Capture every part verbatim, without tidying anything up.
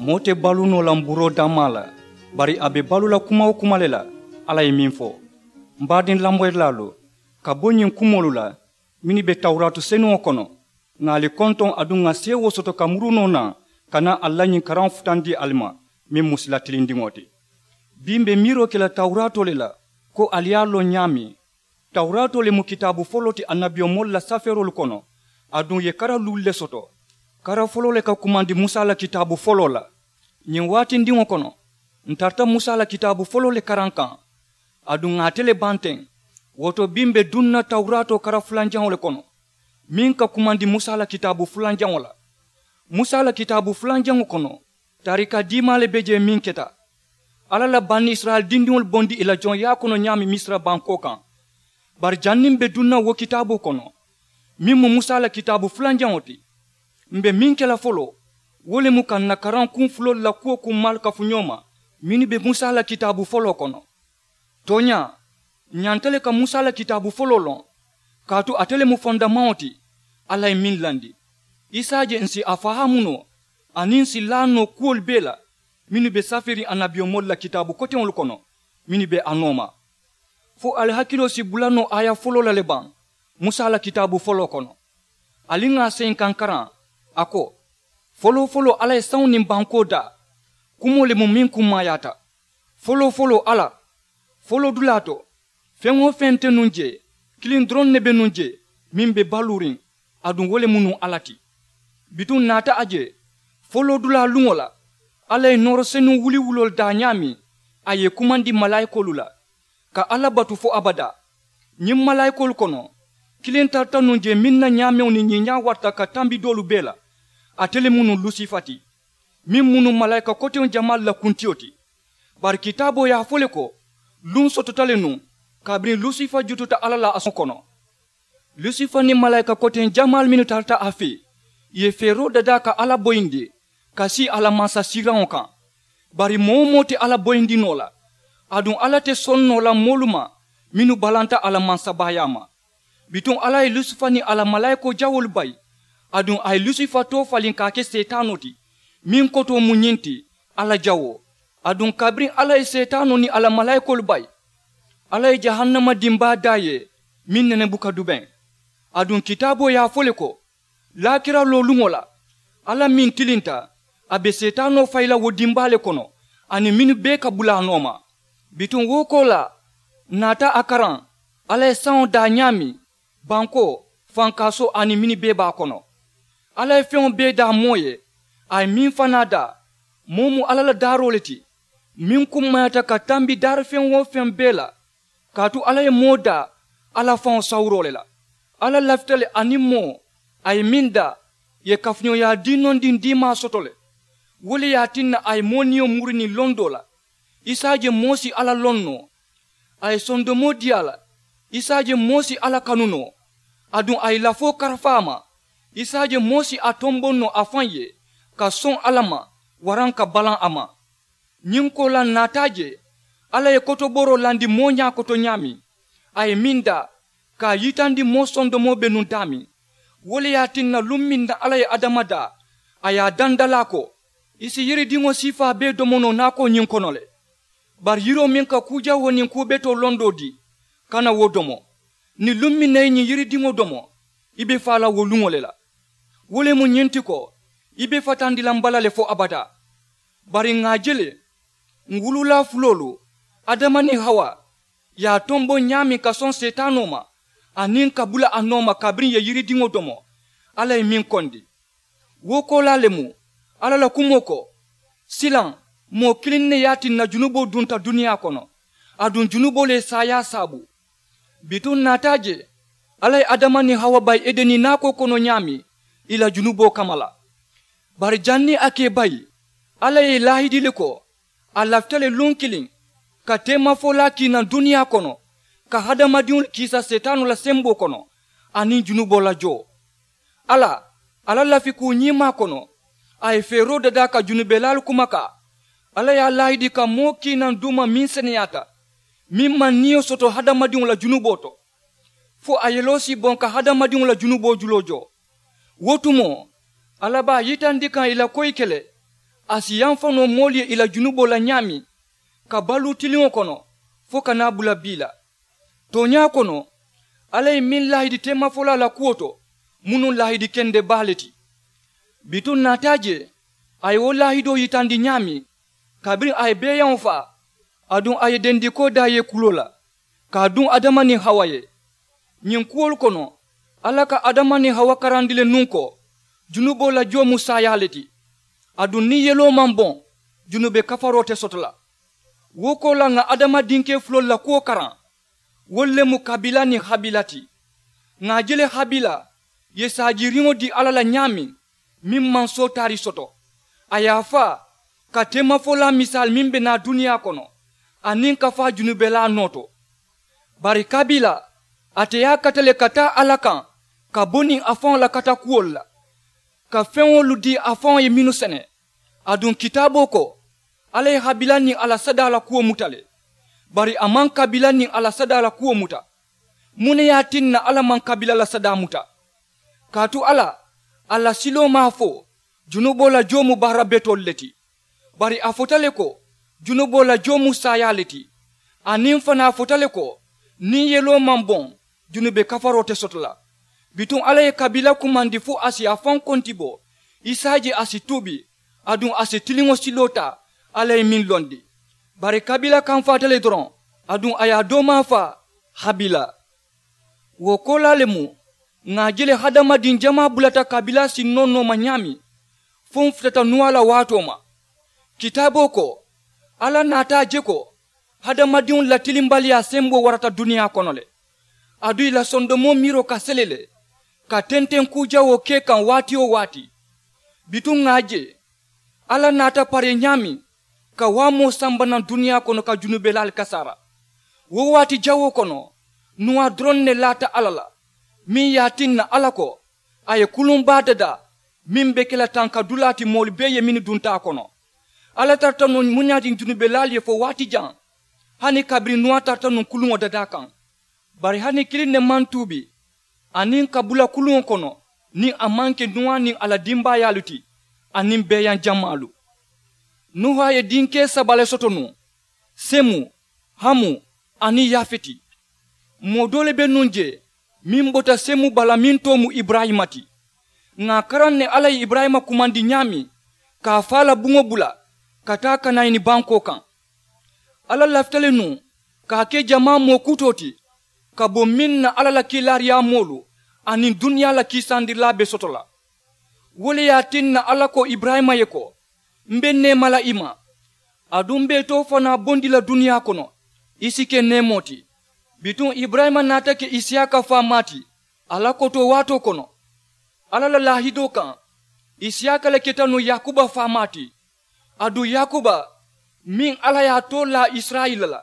Moo te baluu noo la mburoo dammaa la, bari a be baluu la kuma-wo-kuma le la. Alla ye meŋ fo, m baadiŋ lamoyilaalu, ka bo ñiŋ kumoolu la mennu be tawuraatu senuŋo kono, ŋà ali kontoŋ aduŋ ŋà seewoo soto ka muru noo naŋ, ka naa ali la ñiŋ karaŋo futandi ali ma, meŋ mu sila tilindiŋo ti. Bii m be miiroo ke la tawuraatoo le la, ko ali ye a loŋ ñaameŋ. Tawuraatoo le mu kitaabu foloo ti annabiyomoolu la safeeroolu kono, aduŋ ì ye kara luulu le soto. Kara foloo le ka kumandi musa la kitaabu foloo la. Ñiŋ waatindiŋo kono, ǹ tarata musa la kitaabu foloo le karaŋ kaŋ, aduŋ ŋà ate le baŋ teŋ. Wo to bii m be duŋ na tawuraatoo kara fulanjaŋo le kono, meŋ ka kumandi musa la kitaabu fulanjaŋo la. Musa la kitaabu fulanjaŋo kono, taarika diimaa le be jee meŋ keta. Alla la banisirayila dindiŋolu bondi ì la joŋyaa kono ñaameŋ misira bankoo kaŋ. Bari janniŋ m be duŋ na wo kitaaboo kono, meŋ mu musa la kitaabu fulanjaŋo ti, m be meŋ ke la foloo, wo le mu ka ǹ na karaŋ kuŋ fuloolu la kuwo kummaalu kafu ñoo ma, mennu be musa la kitaabu foloo kono. Tooñaa, ǹ ñanta le ka musa la kitaabu foloo loŋ, kaatu ate le mu fondamaŋo ti. Alla ye meŋ landi, i si a je ǹ si a fahaamu noo, aniŋ ǹ si laa noo kuwolu bee la, mennu be safeeriŋ annabiyomoolu la kitaabu koteŋolu kono, mennu be a nooma. Fo ali hakiloo si bula noo aaya foloo la le baŋ, musa la kitaabu foloo kono? Ali ŋà a seyinkankaraŋ, a ko, foloo-foloo alla ye saŋo niŋ bankoo daa. Kumoo le mu meŋ kummaayaata. Foloo-foloo alla, foloo dulaa to, feŋ-wo-feŋ te nuŋ jee, kiliŋ doroŋ ne be nuŋ jee, meŋ be baluuriŋ, aduŋ wo le mu nuŋ alla ti. Bituŋ ǹ naata a je, foloo dulaa luŋo la, alla ye nooro senuŋ wuliwuloolu daa ñaameŋ, a ye ì kumandi malaayikoolu la, ka alla batu fo abadaa. Ñiŋ malaayikoolu kono, kiliŋ tarata nuŋ jee meŋ na ñaameŋo niŋ ñiiñaa warata ka tambi doolu bee la. Ate le mu nuŋ lusifa ti, meŋ mu nuŋ malaayika koteŋ jamaalu la kuntiyo ti. Bari kitaaboo ye a fo le ko, luŋ sotota le nuŋ kabiriŋ lusifa jututa alla la a soŋo kono. Lusifa niŋ malaayika koteŋ jamaalu mennu tarata a fee, ì ye feeroo dadaa ka alla boyindi ka sii a la mansasiiraŋo kaŋ. Bari moo-wo-moo te alla boyindi noo la, aduŋ alla te soŋ noo la moolu ma mennu balanta a la mansabaayaa ma. Bituŋ alla ye lusifa niŋ a la malaayikoo jawoolu bayi, aduŋ a ye lusifa toofaliŋ ka a ke seetaanoo ti. Meŋ kotoo mu ñiŋ ti, alla jawoo. Aduŋ kabiriŋ alla ye seetaanoo niŋ a la malaayikoolu bayi, alla ye jahannama dimbaa daa ì ye, meŋ nene buka dubeŋ. Aduŋ kitaaboo ye a fo le ko, laakira looluŋo la, alla meŋ tilinta, a be seetaanoo fayi la wo dimbaa le kono, aniŋ mennu bee ka bula a nooma. Bituŋ wo koolaa, ǹ naata a karaŋ, alla ye saŋo daa ñaameŋ, bankoo, fankaasoo aniŋ mennu bee be a kono. Alla ye feŋo bee daa moo ye, a ye meŋ fanaa daa, moo mu alla la daaroo le ti, meŋ kummayaata ka tambi daari feŋ-wo-feŋ bee la. Kaatu alla ye moo daa alla faŋo sawuroo le la. Alla lafita le aniŋ moo, a ye meŋ daa, ì ye kafuñooyaa diinondiŋ diimaa soto le. Wo le ye a tinna a ye moo niyo muri niŋ londoo la. I si a je moo si alla loŋ noo, a ye sondomoo dii a la. I si a je moo si alla kanu noo, aduŋ a ye lafoo karafa a ma. I si a je moo si a tomboŋ noo a faŋ ye, ka soŋ alla ma, waraŋ ka balaŋ a ma. Ñiŋ koolaa ǹ naata a je, alla ye kotobooroo landi moo ñaakoto ñaameŋ, a ye meŋ daa, ka a yitandi moo sondomoo be nuŋ daameŋ. Wo le ye a tinna luŋ meŋ na alla ye adama daa, a ye a dandalaa ko, i si yiridiŋo siifaa bee domo noo naakoo ñiŋ kono le. Bari yiroo meŋ ka kuu jawoo niŋ kuu betoo londoo dii, kana wo domo. Niŋ luŋ meŋ na i ye ñiŋ yiridiŋo domo, i be faa la wo luŋo le la. Wo le mu ñiŋ ti ko, i be fatandi la m bala le fo abadaa. Bari ŋà a je le, ǹ wuluulaa fuloolu, adama niŋ hawa, ye a tomboŋ ñaameŋ ka soŋ seetaanoo ma, aniŋ ka bula a nooma kabiriŋ ì ye yiridiŋo domo, alla ye meŋ kondi. Wo koolaa le mu, alla la kumoo ko, silaŋ, moo kiliŋ ne ye a tinna junuboo dunta duniyaa kono, aduŋ junuboo le ye saayaa saabu. Bituŋ ǹ naata a je, alla ye adama niŋ hawa bayi edeni naakoo kono ñaameŋ, ì la junuboo kamma la. Bari janniŋ a ka ì bayi, alla ye ì laahidi le ko, a lafita le luŋ kiliŋ, ka teemafolaa kii naŋ duniyaa kono, ka hadamadiŋolu kiisa seetaanoo la semboo kono, aniŋ junuboo la joo. Alla, a la lafikuu ñiimaa kono, a ye feeroo dadaa ka junubelaalu kumakaa. Alla ye a laahidi ka moo kii naŋ duuma meŋ seneyaata, meŋ maŋ niyo soto hadamadiŋo la junuboo to, fo a yeloo si boŋ ka hadamadiŋo la junuboo juloo joo. Wo tumoo, alla be a yitandi kaŋ ì la koyi ke le, A si yamfa noo moolu ye ì la junuboo la ñaameŋ ka baluu tiliŋo kono fo ka naa bula bii la. Tooñaa kono, alla ye meŋ laahidi teemafolaa la kuwo to mu nuŋ laahidi kende baa le ti. Bituŋ naata a je a ye wo laahidoo yitandi ñaameŋ, kabiriŋ a ye beeyaŋo faa, aduŋ a ye dendikoo daa ye kuloo la ka a duŋ adama niŋ hawa ye. Ñiŋ kuwolu kono, alla ka adama niŋ hawa karandi le nuŋ ko junuboo la joo mu saayaa le ti. Aduŋ niŋ yeloo maŋ boŋ, junube kafaroo te soto la. Wo koolaa ŋà adama dinkee fuloolu la kuwo karaŋ. Wolu le mu kabila niŋ habila ti. Ŋà a je le habila ye saajiriŋo dii alla la ñaameŋ, meŋ maŋ sootaari soto, a ye a faa ka teemafolaa misaali meŋ be naa duniyaa kono, aniŋ ka faa junubelaa noo to. Bari kabila, ate ye a kata le ka taa alla kaŋ ka bo niŋ a faŋo la katakuwolu la, ka feŋolu dii a faŋo ye mennu sene. Aduŋ kitaaboo ko, alla ye habila niŋ a la sadaa la kuwo muta le. Bari a maŋ kabila niŋ a la sadaa la kuwo muta. Muŋ ne ye a tinna alla maŋ kabila la sadaa muta? Kaatu alla, a la siloo maŋ a fo junuboo la joo mu baara betoolu le ti. Bari a fota le ko junuboo la joo mu saayaa le ti. Aniŋ fanaa a fota le ko niŋ yeloo maŋ boŋ, junube kafaroo te soto la. Bituŋ alla ye kabila kumandi fo a si a faŋ konti bo, i si a je a si tuubi, aduŋ a si tiliŋo siloo taa alla ye meŋ londi. Bari kabila kamfaata le doroŋ, aduŋ a ye a doomaa faa habila. Wo koolaa le mu, ŋà a je le hadamadiŋ jamaa bulata kabila sinnoo nooma ñaameŋ, fo m futata nuwaa la waatoo ma. Kitaaboo ko, alla naata a je ko hadamadiŋolu la tilimbaliyaa semboo warata duniyaa kono le. Aduŋ ì la sondomoo miiroo ka sele le ka tenteŋ kuu jawoo ke kaŋ waati-wo-waati. Bituŋ ŋà a je alla naata paree ñaameŋ ka waamoo samba naŋ duniyaa kono ka junubelaalu kasaara. Wo waati jawoo kono, nuwaa doroŋ ne laata alla la, meŋ ye a tinna alla ko a ye kuluŋ baa dadaa, meŋ be ke la tankadulaa ti moolu bee ye mennu dunta a kono. Alla tarata nuŋ muñaatiŋ junubelaalu ye fo waati jaŋ, hani kabiriŋ nuwaa tarata nuŋ kuluŋo dadaa kaŋ. Bari hani kiliŋ ne maŋ tuubi aniŋ ka bula kuluŋo kono niŋ a maŋ ke nuwaa niŋ a la dimbaayaalu ti, aniŋ beeyaŋ jamaalu. Nuha ye dinkee saba le soto nuŋ, semu, hamu, aniŋ yafeti. Moo doo le be nuŋ jee meŋ bota semu bala meŋ too mu iburayima ti. Ŋà a karaŋ ne alla ye iburayima kumandi ñaameŋ ka a faa la buŋo bula ka taa kanayini bankoo kaŋ. Alla lafita le nuŋ ka a ke jamaa moo kutoo ti ka bo meŋ na alla la kiilaariyaamoolu aniŋ duniyaa la kiisandirilaa be soto la. Wo le ye a tinna alla ko iburayima ye ko, m be neema la i ma, aduŋ m be i too fanaa bondi la duniyaa kono, i si ke neemoo ti. Bituŋ iburayima naata ke isiyaaka faamaa ti a la kotoo waatoo kono. Alla la laahidoo kaŋ, isiyaaka le keta nuŋ yaakuba faamaa ti. Aduŋ yaakuba meŋ alla ye a too laa isirayila la,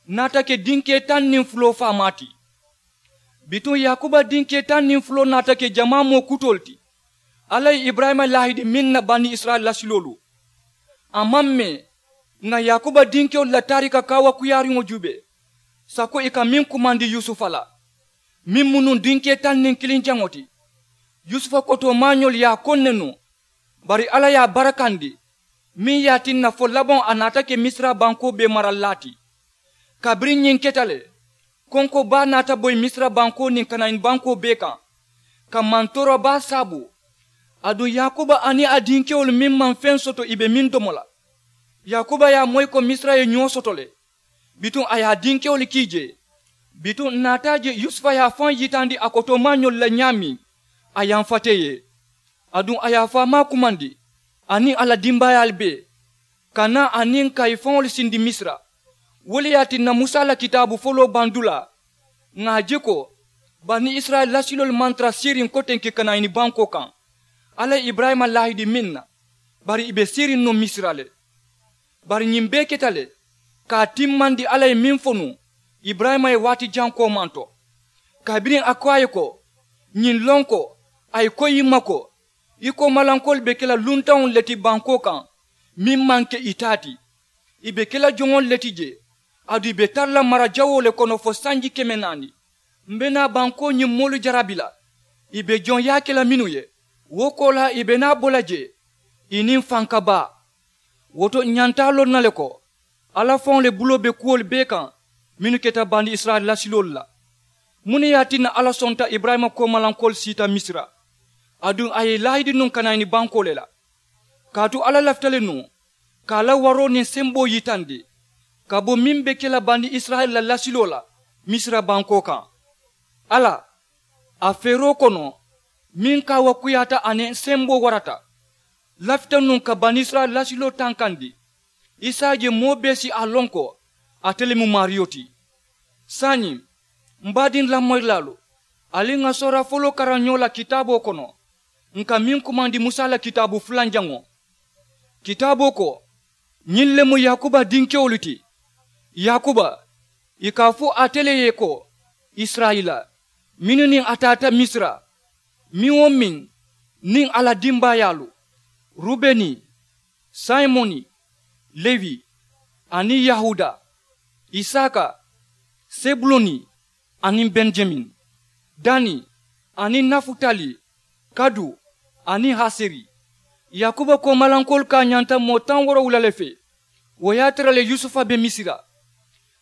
naata ke dinkee taŋ niŋ fuloo faamaa ti. Bituŋ yaakuba dinkee taŋ niŋ fuloo naata ke jamaa moo kutoolu ti. Alla ye iburayima laahidi meŋ na bani isirayila lasiloolu, a maŋ mee. Ŋà yaakuba dinkewolu la taarika kaawakuyaariŋo juubee sako ì ka meŋ kumandi yusufa la, meŋ mu nuŋ dinkee taŋ niŋ kiliŋ jaŋo ti. Yusufa kotoo maañoolu ye a koŋ ne nuŋ, bari alla ye a barakandi, meŋ ye a tinna fo labaŋo a naata ke misira bankoo bee marallaa ti. Kabiriŋ ñiŋ keta le, konko baa naata boyi misira bankoo niŋ kanayini bankoo bee kaŋ, ka mantoora baa saabu. Aduŋ yaakuba aniŋ a dinkewolu meŋ maŋ feŋ soto ì be meŋ domo la. Yaakuba ye a moyi ko misira ye ñoo soto le. Bituŋ a ye a dinkewolu kii jee. Bituŋ ǹ naata a je yusufa ye a faŋ yitandi a kotoomaañolu la ñaameŋ, a yamfata ì ye. Aduŋ a ye a faamaa kumandi aniŋ a la dimbaayaalu bee, ka naa aniŋ ka ì faŋolu sindi misira. Wo le ye a tinna musa la kitaabu foloo bandulaa, ŋà a je ko bani isirayila lasiloolu maŋ tara siiriŋ kotenke kanayini bankoo kaŋ, alla ye iburayima laahidi meŋ na, bari ì be siiriŋ nuŋ misira le. Bari ñiŋ bee keta le ka a timmandi alla ye meŋ fo nuŋ, iburayima ye waati jaŋ koomanto. Kabiriŋ a ko a ye ko, ñiŋ loŋ ko a ye koyi ì ma ko, i koomalankoolu be ke la luntaŋolu le ti bankoo kaŋ, meŋ maŋ ke ì taa ti. Ì be ke la joŋolu le ti jee, aduŋ ì be tara la mara jawoo le kono fo sanji keme naani. M be naa bankoo ñiŋ moolu jarabi la, ì be joŋ yaa ke la mennu ye, wo koolaa ì be naa bo la jee, ì niŋ fanka baa. Wo to ǹ ñanta a loŋ na le ko alla faŋo le buloo be kuwolu bee kaŋ mennu keta bani isirayila lasiloolu la. Muŋ ne ye a tinna alla sonta iburayima koomalankoolu siita misira, aduŋ a ye i laahidi nuŋ ka naa i ni bankoo le la. Kaatu alla lafita le nuŋ ka a la waroo niŋ semboo yitandi ka bo meŋ be ke la bani isirayila la lasiloo la misira bankoo kaŋ. Alla a feeroo kono meŋ kaawaakuyaata aniŋ semboo warata lafita nuŋ ka bani isirayila lasiloo tankandi. Isa ye moo bee si a loŋ ko ate le mu maariyo ti. Saayiŋ m baadiŋ lamoyilaalu, ali ŋà soora foloo karaŋ ñoo la kitaaboo kono ǹ ka meŋ kumandi musa la kitaabu fulanjaŋo. Kitaaboo ko ñiŋ le mu yaakuba dinkewolu ti. Yaakuba ì ka a fo ate le ye ko isirayila mennu niŋ a taata misira, meŋ-wo-meŋ niŋ a la dimbaayaalu, rubeni, simoni, lewi, aniŋ yahuda, isaka, sebuloni, aniŋ benjamin, dani, aniŋ nafutali, kadu, aniŋ haseri. Yaakuba koomalankoolu ka a ñanta moo taŋ woorowula le fee. Wo ye a tara le yusufa be misira.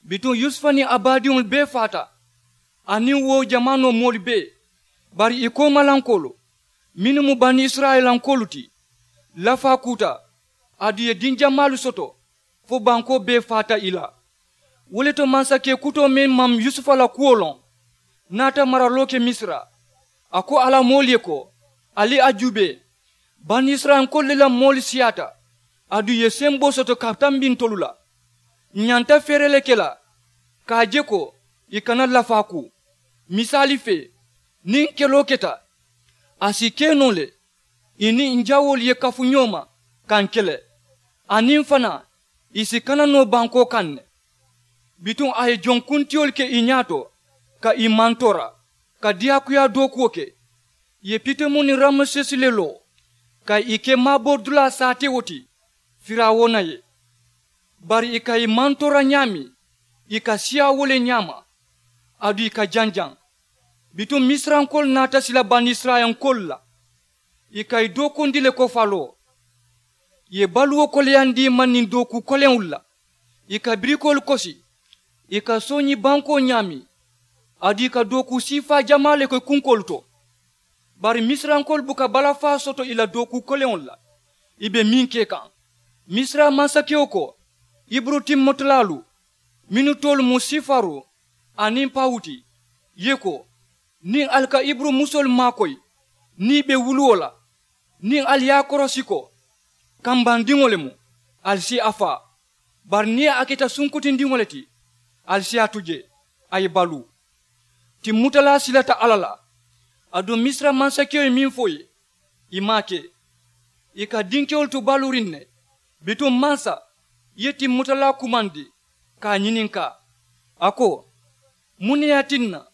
Bituŋ yusufa niŋ a baadiŋolu bee faata, aniŋ wo jamaanoo moolu bee. Bari ì koomalankoolu mennu mu bani isirayilankoolu ti, lafaa kuuta, aduŋ ì ye diŋ jamaalu soto fo bankoo bee faata ì la. Wo le to mansakee kutoo meŋ maŋ yusufa la kuwo loŋ naata maraloo ke misira. A ko a la moolu ye ko, ali a juubee, bani isirayilankoolu le la moolu siyaata, aduŋ ì ye semboo soto ka tambi ntolu la. Ǹ ñanta feere le ke la ka a je ko ì kana lafaa ku. Misaali fee, niŋ keloo keta, a si ke noo le ì niŋ ǹ jawoolu ye kafu ñoo ma ka ǹ kele, aniŋ fanaa ì si kana noo bankoo kaŋ ne. Bituŋ a ye jonkuntiyolu ke ì ñaato ka ì mantoora ka diyaakuyaa dookuwo ke. Ì ye pitomu niŋ ramesesi le loo ka ì ke maaboridulaa saatewo ti firawuna ye. Bari ì ka ì mantoora ñaameŋ ì ka siyaa wo le ñaama, aduŋ ì ka janjaŋ. Bituŋ misirankoolu naata sila banisirayilankoolu la, ì ka ì dookundi le ko faloo. Ì ye baluwo koleyandi ì ma niŋ dookuu koleŋolu la. Ì ka birikoolu kosi, ì ka sooñi bankoo ñaameŋ, aduŋ ì ka dookuu siifaa jamaa le ke kunkoolu to. Bari misirankoolu buka balafaa soto ì la dookuu koleŋolu la ì be meŋ ke kaŋ. Misira mansakewo ko, iburu timmutalaalu mennu toolu mu sifaru aniŋ pawuti, ye ko, niŋ ali ka iburu musoolu maakoyi niŋ ì be wuluwo la, niŋ ali ye a korosi ko kambandiŋo le mu, ali si a faa. Bari niŋ a keta sunkutindiŋo le ti, ali si a tu jee, a ye baluu. Timmutalaa silata alla la, aduŋ misira mansakewo ye meŋ fo ì ye, ì maŋ a ke. Ì ka dinkewolu tu baluuriŋ ne. Bituŋ mansa, ì ye timmutalaa kumandi ka a ñininkaa, a ko, muŋ ne ye a tinna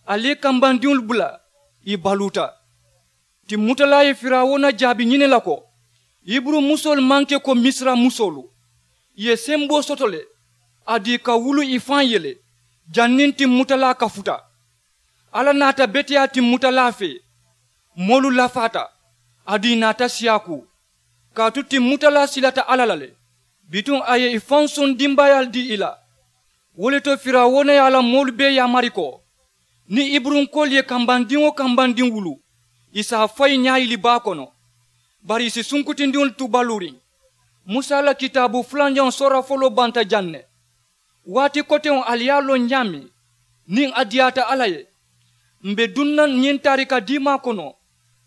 ali ye kambandiŋolu bula ì baluuta? Timmutalaa ye firawuna jaabi ñini la ko, iburu musoolu maŋ ke ko misira musoolu. Ì ye semboo soto le, aduŋ ì ka wulu ì faŋ ye le. Janniŋ timmutalaa kafuta, alla naata beteyaa timmutalaa fee. Moolu lafaata, aduŋ ì naata siyaa kuu. Kaatu timmutalaa silata alla la le, bituŋ a ye ì faŋ soŋ dimbaayaalu dii ì la. Wo le to firawuna ye a la moolu bee yaamari ko, niŋ iburunkoolu ye kambandiŋ-wo-kambandiŋ wulu, ì si a fayi ñaayili baa kono. Bari ì si sunkutindiŋolu tu baluuriŋ. Musa la kitaabu fulanjaŋo soora foloo banta jaŋ ne. Waati koteŋo ali ye a loŋ ñaameŋ, niŋ a diyaata alla ye, m̀ be duŋ na ñiŋ taarika diimaa kono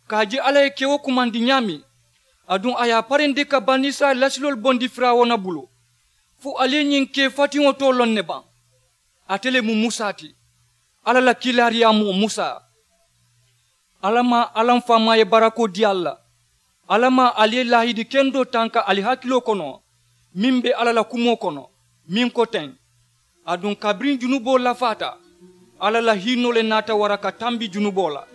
ka a je alla ye kewo kumandi ñaameŋ, aduŋ a ye a parindi ka banisirayila lasiloolu bondi firawuna bulu. Fo ali ye ñiŋ kee fatiŋo too loŋ ne baŋ? Ate le mu musa ti, alla la kiilaariyaamoo musa. Alla maŋ alla m faamaa ye barakoo dii ali la. Alla maŋ ali ye laahidi kendoo tanka ali hakiloo kono meŋ be alla la kumoo kono, meŋ ko teŋ, aduŋ kabiriŋ junuboo lafaata, alla la hiinoo le naata wara ka tambi junuboo la.